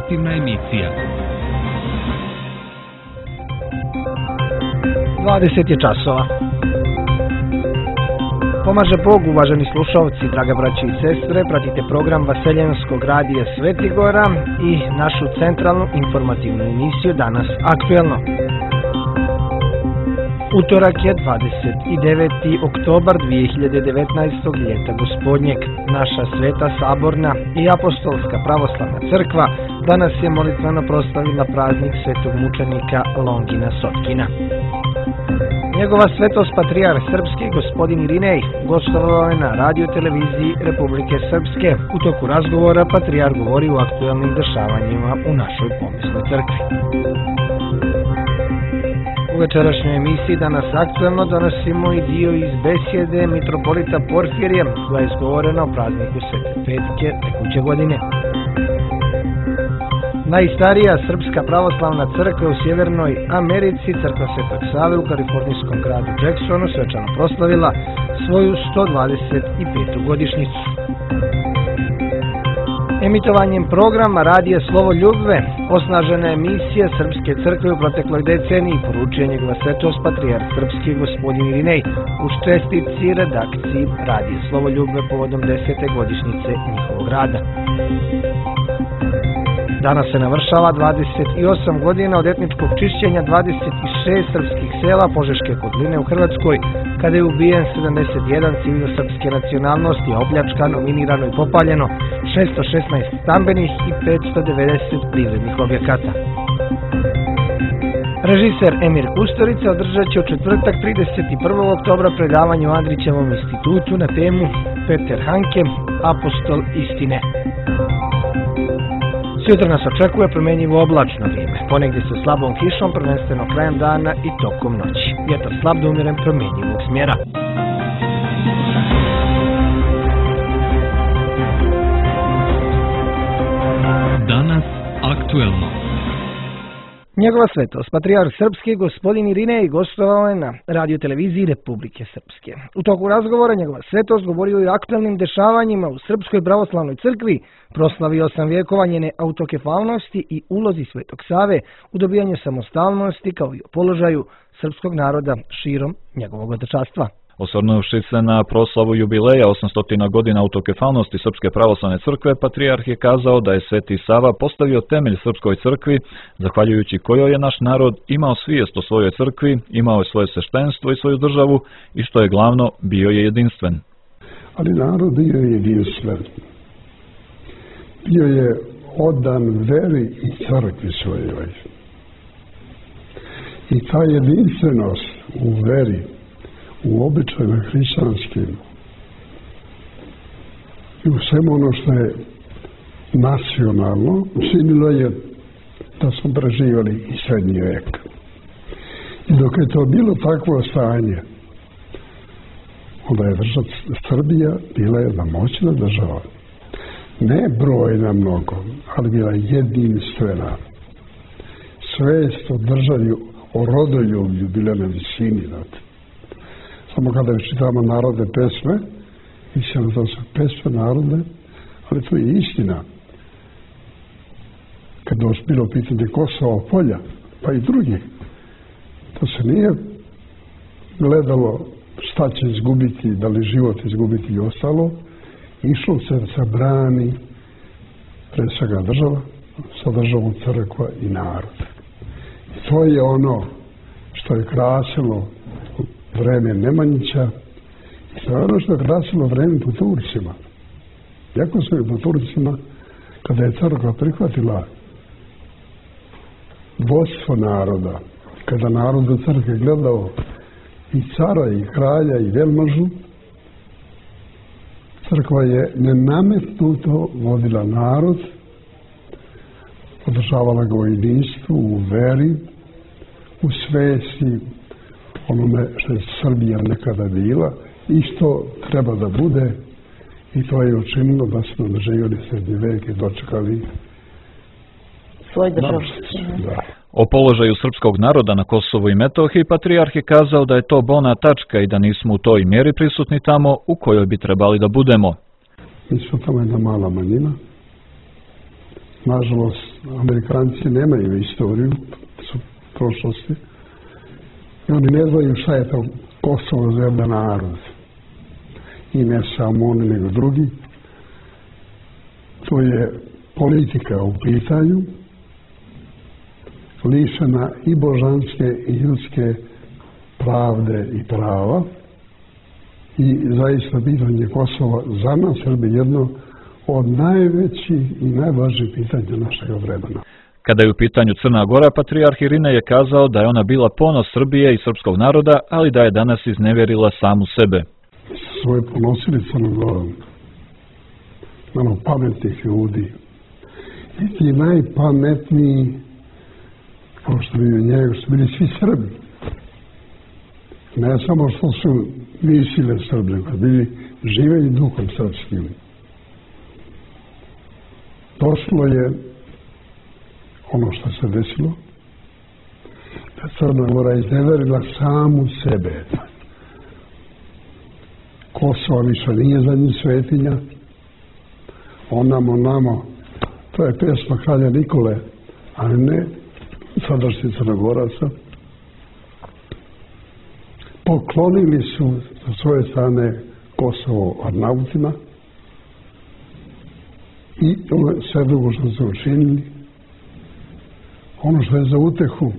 informativna emisija. 20 je časova. Pomaže Bog, uvaženi slušalci, draga braći i sestre, pratite program Vaseljenskog radija Svetigora i našu centralnu informativnu emisiju Danas aktuelno. Utorak je 29. oktobar 2019. ljeta gospodnjeg. Naša sveta saborna i apostolska pravoslavna crkva danas je molitveno proslavila praznik svetog mučenika Longina Sotkina. Njegova svetost patrijarh srpski gospodin Irinej gostovao je na radio televiziji Republike Srpske. U toku razgovora patrijarh govori o aktuelnim dešavanjima u našoj pomesnoj crkvi. U večerašnjoj emisiji Danas aktuelno donosimo i dio iz besjede mitropolita Porfirija koja je izgovorena o prazniku Svete Petke tekuće godine. Najstarija srpska pravoslavna crkva u Sjevernoj Americi, crkva Svetog Save u kalifornijskom gradu Jacksonu, svečano proslavila svoju 125. godišnjicu. Emitovanjem programa Radija Slovo Ljubve osnažena je misija Srpske crkve u protekloj deceniji, poručuje njegova svetost patrijarh srpski gospodin Irinej u čestitci redakciji Radija Slovo Ljubve povodom 10. godišnjice njihovog rada. Danas se navršava 28 godina od etničkog čišćenja 26 srpskih sela Požeške kotline u Hrvatskoj, kada je ubijen 71 civil srpske nacionalnosti, a opljačkano, minirano i popaljeno 616 stambenih i 590 privrednih objekata. Režiser Emir Kusturica održat će u četvrtak 31. oktobra predavanje u Andrićevom institutu na temu Peter Hanke, apostol istine. Sutra nas očekuje promjenjivo oblačno vrijeme, ponegdje sa slabom kišom, prvenstveno krajem dana i tokom noći. Vjetar slab do umjeren promjenjivog smjera. Danas aktuelno. Njegova svetost, patrijarh srpski gospodin Irinej gostovao je na radio televiziji Republike Srpske. U toku razgovora njegova svetost govorio i o aktualnim dešavanjima u Srpskoj pravoslavnoj crkvi, proslavio 8 vjekova njene autokefalnosti i ulozi Svetog Save u dobijanju samostalnosti kao i o položaju srpskog naroda širom njegovog otečanstva. Osvrnuvši se na proslavu jubileja 800 godina autokefalnosti Srpske pravoslavne crkve, patrijarh je kazao da je Sveti Sava postavio temelj Srpskoj crkvi, zahvaljujući kojoj je naš narod imao svijest o svojoj crkvi, imao je svoje sveštenstvo i svoju državu i što je glavno, bio je jedinstven. Ali narod bio je jedinstven. Bio je odan veri i crkvi svojoj. I ta jedinstvenost u veri, u običajima hrišćanskim i u svemu ono što je nacionalno, učinilo je da smo preživjeli i srednji vek. I dok je to bilo takvo stanje, onda je država Srbija bila jedna moćna država. Ne brojna mnogo, ali bila jedinstvena. Svest o državi, o rodoljublju bila na visini. Samo kada čitamo narodne pesme, mislim da su pesme narodne, ali to je istina. Kada je bilo pitanje Kosova, Polja, pa i drugih, to se nije gledalo šta će izgubiti, da li život izgubiti i ostalo, išlo se da se brani pre svega država, sa državom crkva i narod. I to je ono što je krasilo vreme Nemanjića i to je ono što je krasilo vreme po Turcima. Jako su je po Turcima, kada je crkva prihvatila vodstvo naroda, kada narod u crkvi gledao i cara i kralja i velmažu, crkva je nenametnuto vodila narod, podržavala ga u jedinstvu, u veri, u svesti onome što je Srbija nekada bila i što treba da bude, i to je učinilo da smo doživjeli srednji vek i dočekali svoj državu. O položaju srpskog naroda na Kosovu i Metohiji patrijarh je kazao da je to bolna tačka i da nismo u toj mjeri prisutni tamo u kojoj bi trebali da budemo. Mi smo tamo jedna mala manjina. Nažalost, Amerikanci nemaju istoriju, su prošlosti. I oni ne znaju šta je to Kosovo za jedan narod. I ne samo oni, nego drugi. To je politika u pitanju, lišena i božanske i ljudske pravde i prava. I zaista pitanje Kosova za nas Srbi jedno od najvećih i najvažnijih pitanja našeg vremena. Kada je u pitanju Crna Gora, patrijarh Irinej je kazao da je ona bila ponos Srbije i srpskog naroda, ali da je danas iznevjerila samu sebe. Svoje ponosili Crnom Gorom, malo pametnih ljudi. I ti najpametniji, kao što bi njega, su bili svi Srbi. Ne samo što su mislile Srbi, nego bili žive i duhom srpskim. Došlo je ono što se desilo, da Crna Gora izneverila samu sebe. Kosovo više nije za njih svetinja, onamo, to je pesma kralja Nikole, ali ne sadašnji Crnogoraca. Poklonili su sa svoje strane Kosovo Arnautima i sve drugo što su učinili. Ono što je za utehu,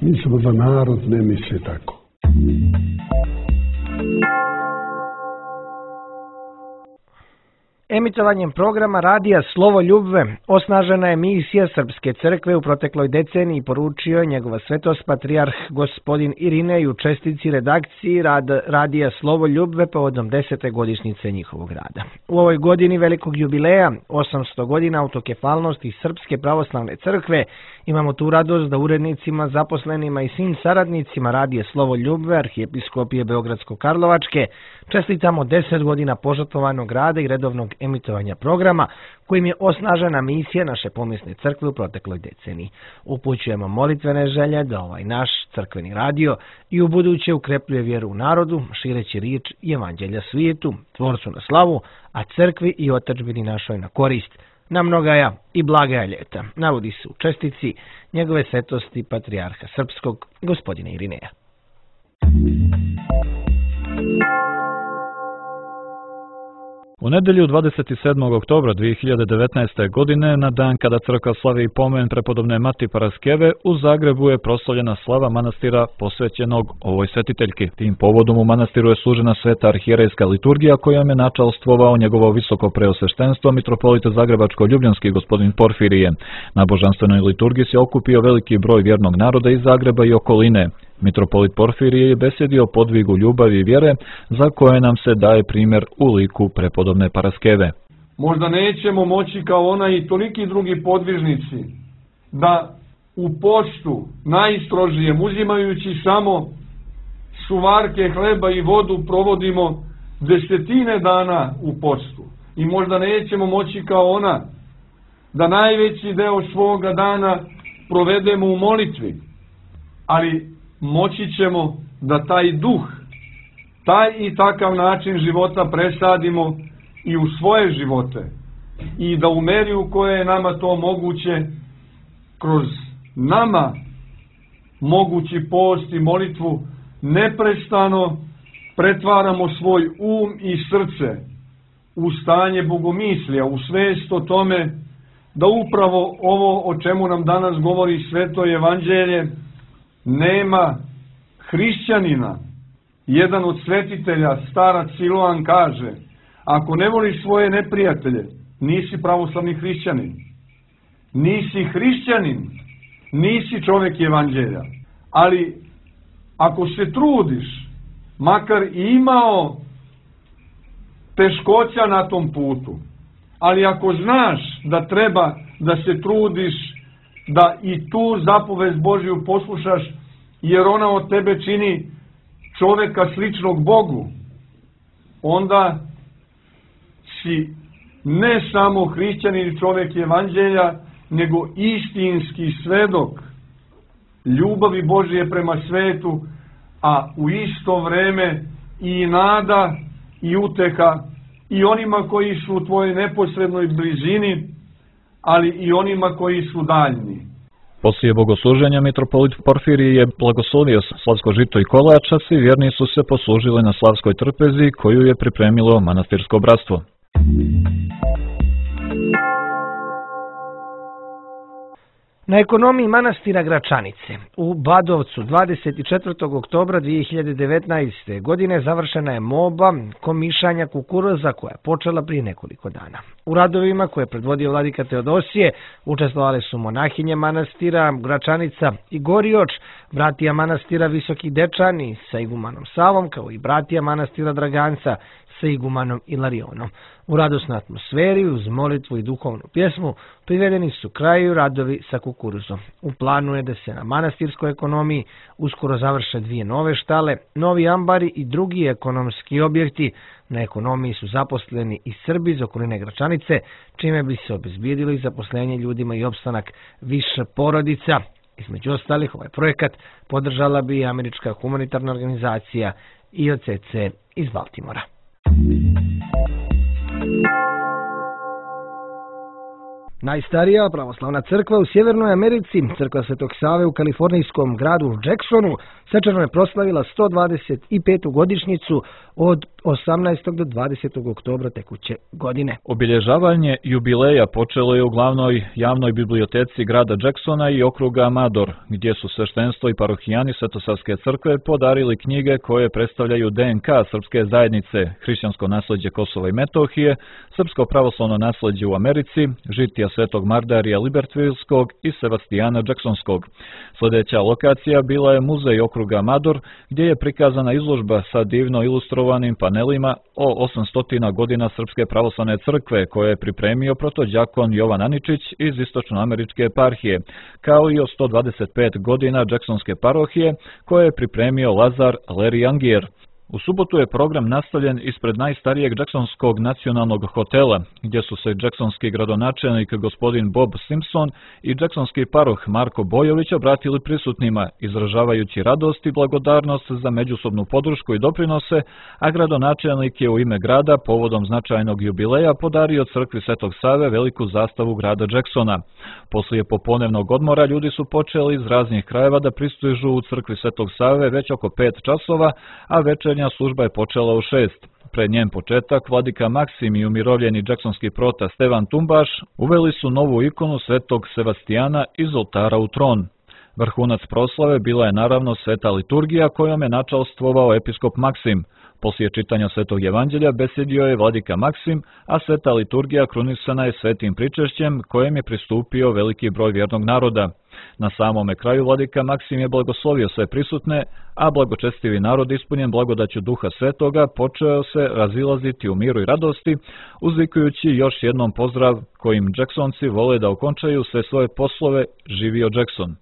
mislimo da narod ne misli tako. Emitovanjem programa Radija Slovo Ljubve osnažena je misija Srpske crkve u protekloj deceniji, poručio je njegova svetost patrijarh gospodin Irinej u čestici redakciji Radija Slovo Ljubve povodom 10. godišnjice njihovog rada. U ovoj godini velikog jubileja, 800 godina autokefalnosti Srpske pravoslavne crkve, imamo tu radost da urednicima, zaposlenima i svim saradnicima Radija Slovo Ljubve, Arhijepiskopije Beogradsko-Karlovačke, čestitamo 10 godina požrtvovanog rada i redovnog emitovanja programa, kojim je osnažena misija naše pomijesne crkve u protekloj deceniji. Upućujemo molitvene želje da ovaj naš crkveni radio i u buduće ukrepljuje vjeru u narodu, šireći riječ i evanđelja svijetu, tvorcu na slavu, a crkvi i otadžbini našoj na korist, na mnogaja i blagaja ljeta, navodi se u čestici njegove svetosti patrijarha srpskog gospodina Irineja. U nedjelju 27. oktobra 2019. godine, na dan kada crkva slavi i pomen prepodobne Mati Paraskeve, u Zagrebu je proslavljena slava manastira posvećenog ovoj svetiteljki. Tim povodom u manastiru je služena sveta arhijerejska liturgija kojom je načalstvovao njegovo visoko preosveštenstvo mitropolita Zagrebačko-Ljubljanski gospodin Porfirije. Na božanstvenoj liturgiji se okupio veliki broj vjernog naroda iz Zagreba i okoline. Mitropolit Porfirije je besjedio o podvigu ljubavi i vjere za koje nam se daje primjer u liku prepodobne Paraskeve. Možda nećemo moći kao ona i toliki drugi podvižnici da u postu najstrožijem, uzimajući samo suvarke hleba i vodu, provodimo 10 dana u postu. I možda nećemo moći kao ona da najveći deo svoga dana provedemo u molitvi, ali moći ćemo da taj duh, taj i takav način života presadimo i u svoje živote i da u meri u kojoj je nama to moguće, kroz nama mogući post i molitvu, neprestano pretvaramo svoj i srce u stanje bogomislija, u svest o tome da upravo ovo o čemu nam danas govori Sveto Evanđelje, nema hrišćanina. Jedan od svetitelja, starac Siloan, kaže: ako ne voliš svoje neprijatelje, nisi pravoslavni hrišćanin. Nisi hrišćanin, nisi čovjek Evanđelja. Ali ako se trudiš, makar i imao teškoća na tom putu, ali ako znaš da treba da se trudiš da i tu zapovest Božju poslušaš, jer ona od tebe čini čovjeka sličnog Bogu, onda si ne samo hrišćanin i čovjek Evanđelja, nego istinski svedok ljubavi Božje prema svetu, a u isto vreme i nada i uteha i onima koji su u tvojoj neposrednoj blizini, ali i onima koji su daljni. Poslije bogosluženja mitropolit Porfirije je blagoslovio slavsko žito i kolač, a svi vjerni su se poslužili na slavskoj trpezi koju je pripremilo manastirsko bratstvo. Na ekonomiji manastira Gračanice u Badovcu 24. oktobra 2019. godine završena je moba komišanja kukuruza koja je počela prije nekoliko dana. U radovima koje je predvodio vladika Teodosije učestvovali su monahinje manastira Gračanica i Gorioč, bratija manastira Visoki Dečani sa igumanom Savom, kao i bratija manastira Draganca sa igumanom Ilarionom. U radosnoj atmosferi, uz molitvu i duhovnu pjesmu, privedeni su kraju radovi sa kukuruzom. U planu je da se na manastirskoj ekonomiji uskoro završe 2 nove štale, novi ambari i drugi ekonomski objekti. Na ekonomiji su zaposleni i Srbi iz okoline Gračanice, čime bi se obezbijedilo i zaposlenje ljudima i opstanak više porodica. Između ostalih, ovaj projekat podržala bi i američka humanitarna organizacija IOCC iz Baltimora. Najstarija pravoslavna crkva u Sjevernoj Americi, crkva Svetog Save u kalifornijskom gradu Jacksonu, svečano je proslavila 125. godišnjicu od 18. do 20. oktobra tekuće godine. Obilježavanje jubileja počelo je u glavnoj javnoj biblioteci grada Jacksona i okruga Amador, gdje su sveštenstvo i parohijani Svetosavske crkve podarili knjige koje predstavljaju DNK srpske zajednice, hrišćansko nasljeđe Kosova i Metohije, srpsko pravoslavno nasljeđe u Americi, žitija Svetog Mardarija Libertvilskog i Sevastijana Jacksonskog. Sljedeća lokacija bila je muzej okruga Amador, gdje je prikazana izložba sa divno ilustrovanim panelima o 800 godina Srpske pravoslavne crkve koje je pripremio protođakon Jovan Aničić iz istočnoameričke eparhije, kao i o 125 godina Jacksonske parohije koje je pripremio Lazar Larry Angier. U subotu je program nastavljen ispred najstarijeg Jacksonskog nacionalnog hotela, gdje su se jacksonski gradonačelnik gospodin Bob Simpson i jacksonski paroh Marko Bojović obratili prisutnima, izražavajući radost i blagodarnost za međusobnu podršku i doprinose, a gradonačelnik je u ime grada povodom značajnog jubileja podario crkvi Svetog Save veliku zastavu grada Jacksona. Poslije popodnevnog odmora ljudi su počeli iz raznih krajeva da pristižu u crkvi Svetog Save već oko 5 časova, a večernja služba je počela u 6. Pred njen početak, vladika Maksim i umirovljeni jacksonski prota Stevan Tumbaš uveli su novu ikonu Svetog Sevastijana iz oltara u tron. Vrhunac proslave bila je naravno sveta liturgija kojom je načalstvovao episkop Maksim. Poslije čitanja Svetog Evanđelja besjedio je vladika Maksim, a sveta liturgija krunisana je svetim pričešćem kojem je pristupio veliki broj vjernog naroda. Na samome kraju vladika Maksim je blagoslovio sve prisutne, a blagočestivi narod ispunjen blagodaću Duha Svetoga počeo se razilaziti u miru i radosti, uzvikujući još jednom pozdrav kojim Jacksonci vole da okončaju sve svoje poslove. Živio Jackson!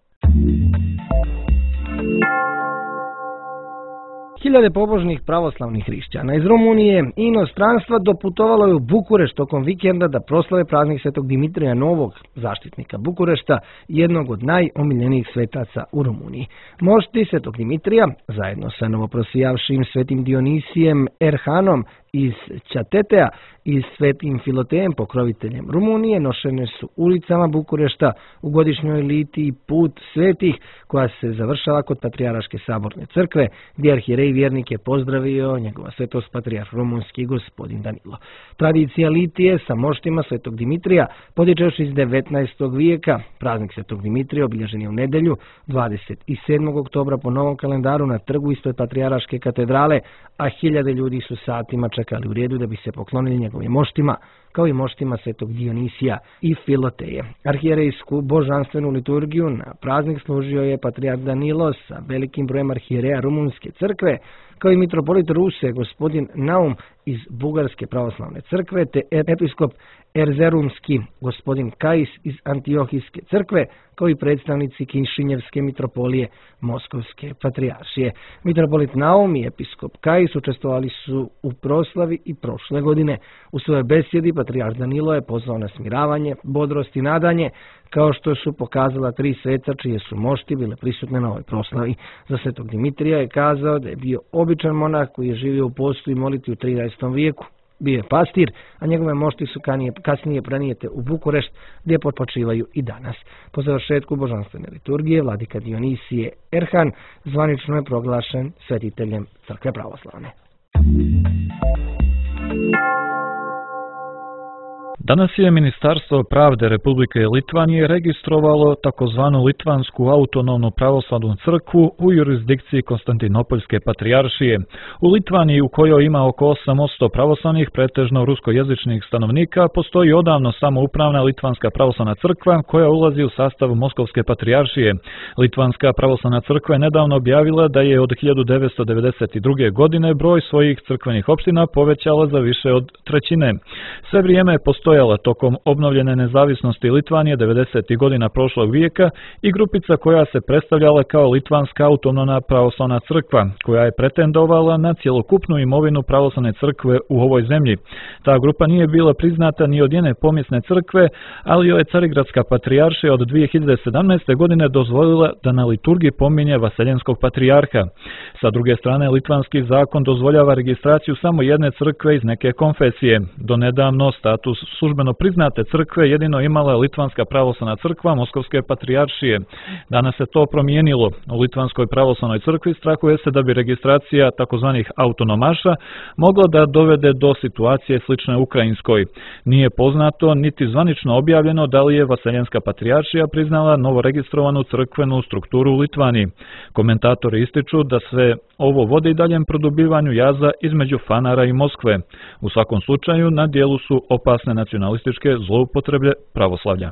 Hiljade pobožnih pravoslavnih hrišćana iz Rumunije i inostranstva doputovalo je u Bukurešt tokom vikenda da proslave praznik Svetog Dimitrija Novog, zaštitnika Bukurešta, jednog od najomiljenijih svetaca u Rumuniji. Mošti Svetog Dimitrija, zajedno sa novoprosijavšim Svetim Dionisijem Erhanom iz Ćatetea i Svetim Filotejem, pokroviteljem Rumunije, nošene su ulicama Bukurešta u godišnjoj litiji Put svetih, koja se završava kod Patrijarhaške saborne crkve, gdje arhijerej vjernik je pozdravio njegova svetost patrijarh rumunski gospodin Danilo. Tradicija litije sa moštima Svetog Dimitrija potječe još iz 19. vijeka. Praznik Svetog Dimitrija obilježen je u nedjelju 27. oktobra po novom kalendaru na trgu ispred Patrijarhaške katedrale, a hiljade ljudi su satima čekali u redu da bi se poklonili njegovim moštima, kao i moštima Svetog Dionisija i Filoteje. Arhijerejsku božanstvenu liturgiju na praznik služio je patrijarh Danilo sa velikim brojem arhijereja Rumunske crkve, kao i mitropolit Ruse gospodin Naum iz Bugarske pravoslavne crkve, te episkop Erzerumski gospodin Kais iz Antiohijske crkve, kao i predstavnici Kišinjevske mitropolije Moskovske patrijaršije. Mitropolit Naum i episkop Kais učestvovali su u proslavi i prošle godine. U svojoj besjedi patrijarh Danilo je pozvao na smiravanje, bodrost i nadanje, kao što su pokazala 3 sveca čije su mošti bile prisutne na ovoj proslavi. Za Svetog Dimitrija je kazao da je bio običan monah koji je živio u postu i molitvi u 13. vijeku. Bio je pastir, a njegove mošti su kasnije prenijete u Bukurešt, gdje počivaju i danas. Po završetku božanstvene liturgije, vladika Dionisije Erhan zvanično je proglašen svetiteljem Crkve pravoslavne. Danas je Ministarstvo pravde Republike Litvanije registrovalo takozvanu Litvansku autonomnu pravoslavnu crkvu u jurisdikciji Konstantinopoljske patrijaršije. U Litvaniji, u kojoj ima oko 8% pravoslavnih, pretežno ruskojezičnih stanovnika, postoji odavno samoupravna Litvanska pravoslavna crkva koja ulazi u sastav Moskovske patrijaršije. Litvanska pravoslavna crkva je nedavno objavila da je od 1992. godine broj svojih crkvenih opština povećala za više od trećine. Sve vrijeme je postojala tokom obnovljene nezavisnosti Litvanije 90. godina prošlog vijeka i grupica koja se predstavljala kao Litvanska autonomna pravoslavna crkva, koja je pretendovala na cjelokupnu imovinu pravoslavne crkve u ovoj zemlji. Ta grupa nije bila priznata ni od jedne pomjesne crkve, ali joj je Carigradska patrijaršija od 2017. godine dozvolila da na liturgiji pominje Vaseljenskog patrijarha. Sa druge strane, litvanski zakon dozvoljava registraciju samo jedne crkve iz neke konfesije. Donedavno status službeno priznate crkve jedino imala Litvanska pravoslavna crkva Moskovske patrijaršije. Danas se to promijenilo. U Litvanskoj pravoslavnoj crkvi strahuje se da bi registracija takozvanih autonomaša mogla da dovede do situacije slične ukrajinskoj. Nije poznato niti zvanično objavljeno da li je Vaseljenska patrijaršija priznala novoregistrovanu crkvenu strukturu u Litvaniji. Komentatori ističu da sve ovo vodi daljem produbljivanju jaza između Fanara i Moskve. U svakom slučaju na dijelu su opasne nacionalističke zloupotrebe pravoslavlja.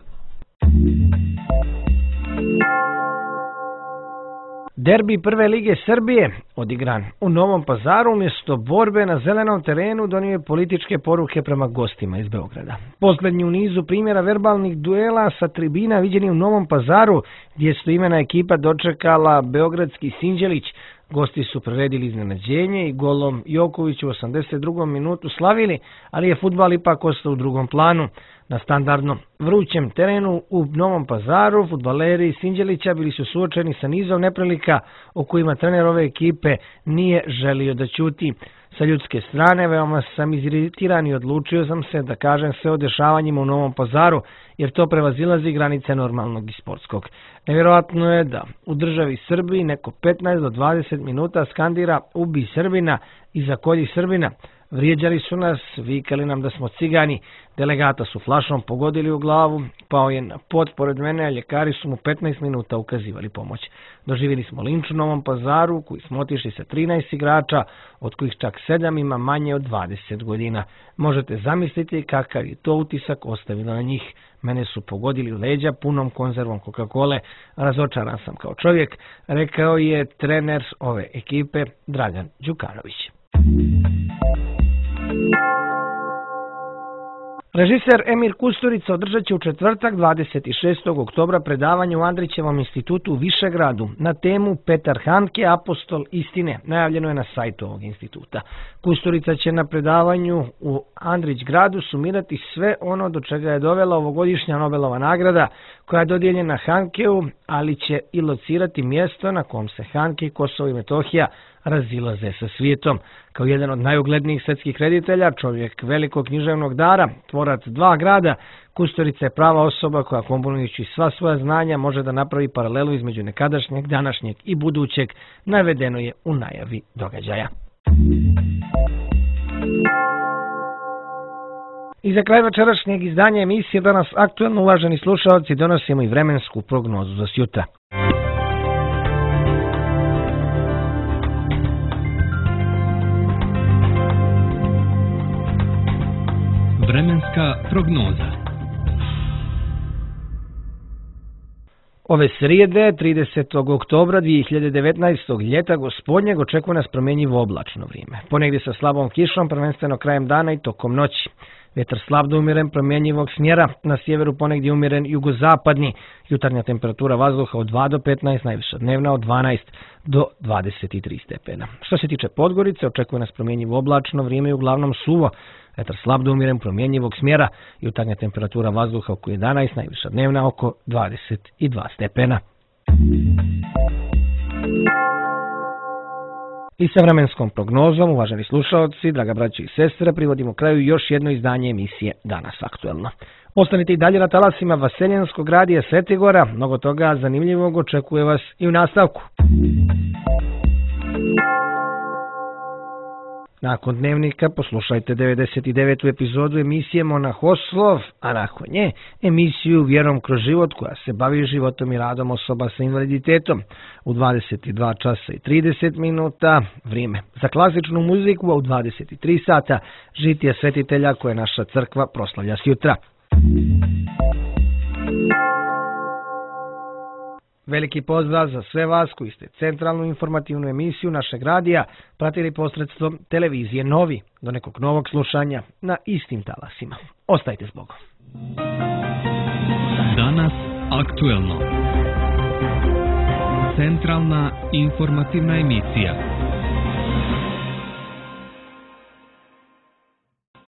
Derbi Prve lige Srbije, odigran u Novom Pazaru, umjesto borbe na zelenom terenu donio je političke poruke prema gostima iz Beograda. Posljednji u nizu primjera verbalnih duela sa tribina viđeni u Novom Pazaru, gdje su imena ekipa dočekala beogradski Sinđelić. Gosti su priredili iznenađenje i golom Joković u 82. minutu slavili, ali je fudbal ipak ostao u drugom planu. Na standardno vrućem terenu u Novom Pazaru fudbaleri Sinđelića bili su suočeni sa nizom neprilika o kojima trener ove ekipe nije želio da ćuti. Sa ljudske strane veoma sam iziritiran i odlučio sam se da kažem sve o dešavanjima u Novom Pazaru, jer to prevazilazi granice normalnog i sportskog. Nevjerojatno je da u državi Srbiji neko 15 do 20 minuta skandira "Ubi Srbina" i "Zakolji Srbina". Vrijeđali su nas, vikali nam da smo cigani, delegata su flašom pogodili u glavu, pao je na pod pored mene, a ljekari su mu 15 minuta ukazivali pomoć. Doživjeli smo linč u Novom Pazaru, koji smo otišli sa 13 igrača, od kojih čak 7 ima manje od 20 godina. Možete zamisliti kakav je to utisak ostavilo na njih. Mene su pogodili u leđa punom konzervom Coca-Cole, razočaran sam kao čovjek, rekao je trener ove ekipe Dragan Đukanović. Režiser Emir Kusturica održat će u četvrtak 26. oktobra predavanje u Andrićevom institutu u Višegradu na temu Petar Handke, apostol istine. Najavljeno je na sajtu ovog instituta. Kusturica će na predavanju u Andrićgradu sumirati sve ono do čega je dovela ovogodišnja Nobelova nagrada koja je dodijeljena Handkeu, ali će i locirati mjesto na kom se Handke i Kosovo i Metohija razilaze sa svijetom. Kao jedan od najuglednijih svjetskih reditelja, čovjek velikog književnog dara, tvorac dva grada, Kusturica je prava osoba koja komponujući sva svoja znanja može da napravi paralelu između nekadašnjeg, današnjeg i budućeg, navedeno je u najavi događaja. I za kraj večerašnjeg izdanja emisije Danas aktuelno, uvaženi slušalci, donosimo i vremensku prognozu za sjutra. Vremenska prognoza. Ove srijede, 30. oktobra 2019. ljeta gospodnjeg, očekuje nas promjenjivo oblačno vrijeme. Ponegdje sa slabom kišom, prvenstveno krajem dana i tokom noći. Vjetar slab do umjeren promjenjivog smjera, na sjeveru ponegdje umjeren jugozapadni. Jutarnja temperatura vazduha od 2 do 15, najviša dnevna od 12 do 23 stepena. Što se tiče Podgorice, očekuje nas promjenjivo oblačno vrijeme i uglavnom suvo. Vjetar slab do umjeren promjenjivog smjera, jutarnja temperatura vazduha oko 11, najviša dnevna oko 22 stepena. I sa vremenskom prognozom, uvaženi slušaoci, draga braća i sestre, privodimo kraju još jedno izdanje emisije Danas aktuelno. Ostanite i dalje na talasima Vaseljenskog radija Svetigora, mnogo toga zanimljivog očekuje vas i u nastavku. Nakon dnevnika poslušajte 99. epizodu emisije Monahoslov, a nakon nje emisiju Vjerom kroz život koja se bavi životom i radom osoba sa invaliditetom. U 22 časa i 30 minuta vrijeme za klasičnu muziku, a u 23 sata žitije svetitelja koje naša crkva proslavlja sjutra. Veliki pozdrav za sve vas koji ste centralnu informativnu emisiju našeg radija pratili posredstvom televizije Novi. Do nekog novog slušanja na istim talasima. Ostajte s Bogom. Danas aktuelno. Centralna informativna emisija.